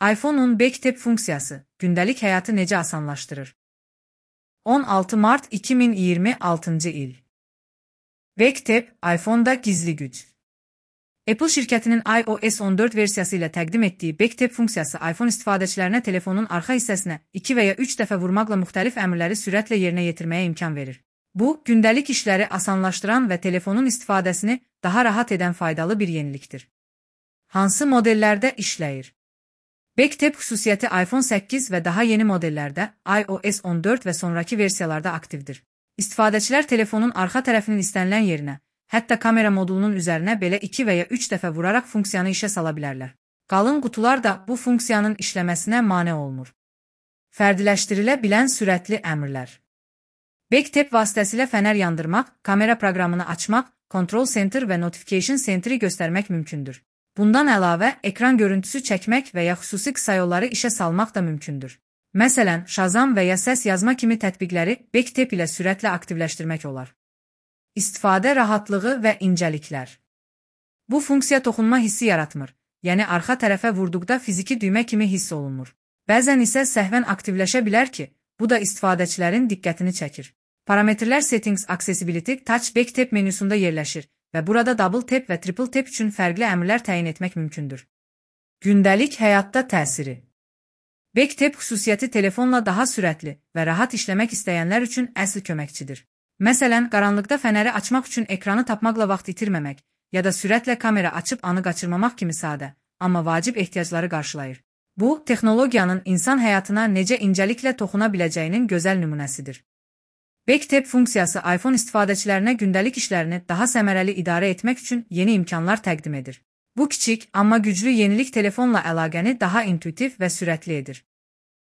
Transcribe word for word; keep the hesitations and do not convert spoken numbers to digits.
iPhone-un Backtap funksiyası gündəlik həyatı necə asanlaşdırır? on altı mart iki min iyirmi altıncı il. Backtap, iPhone-da gizli güc. Apple şirkətinin iOS on dörd versiyası ilə təqdim etdiyi Backtap funksiyası iPhone istifadəçilərinə telefonun arxa hissəsinə iki və ya üç dəfə vurmaqla müxtəlif əmrləri sürətlə yerinə yetirməyə imkan verir. Bu, gündəlik işləri asanlaşdıran və telefonun istifadəsini daha rahat edən faydalı bir yenilikdir. Hansı modellərdə işləyir? Backtap xüsusiyyəti iPhone səkkiz və daha yeni modellərdə, iOS on dörd və sonraki versiyalarda aktivdir. İstifadəçilər telefonun arxa tərəfinin istənilən yerinə, hətta kamera modulunun üzərinə belə iki və ya üç dəfə vuraraq funksiyanı işə sala bilərlər. Qalın qutular da bu funksiyanın işləməsinə mane olmur. Fərdiləşdirilə bilən sürətli əmrlər. Backtap vasitəsilə fənər yandırmaq, kamera proqramını açmaq, Control Center və Notification Center'i göstərmək mümkündür. Bundan əlavə, ekran görüntüsü çəkmək və ya xüsusi qısa yolları işə salmaq da mümkündür. Məsələn, Shazam və ya səs yazma kimi tətbiqləri Backtap ilə sürətlə aktivləşdirmək olar. İstifadə rahatlığı və incəliklər. Bu funksiya toxunma hissi yaratmır, yəni arxa tərəfə vurduqda fiziki düymə kimi hiss olunmur. Bəzən isə səhvən aktivləşə bilər ki, bu da istifadəçilərin diqqətini çəkir. Parametrlər Settings Accessibility Touch Backtap menüsündə yerləşir və burada Double Tap və Triple Tap üçün fərqli əmrlər təyin etmək mümkündür. Gündəlik həyatda təsiri. Backtap xüsusiyyəti telefonla daha sürətli və rahat işləmək istəyənlər üçün əsl köməkçidir. Məsələn, qaranlıqda fənəri açmaq üçün ekranı tapmaqla vaxt itirməmək ya da sürətlə kamera açıb anı qaçırmamaq kimi sadə, amma vacib ehtiyacları qarşılayır. Bu, texnologiyanın insan həyatına necə incəliklə toxuna biləcəyinin gözəl nümunəsidir. Backtap funksiyası iPhone istifadəçilərinə gündəlik işlərini daha səmərəli idarə etmək üçün yeni imkanlar təqdim edir. Bu kiçik, amma güclü yenilik telefonla əlaqəni daha intuitiv və sürətli edir.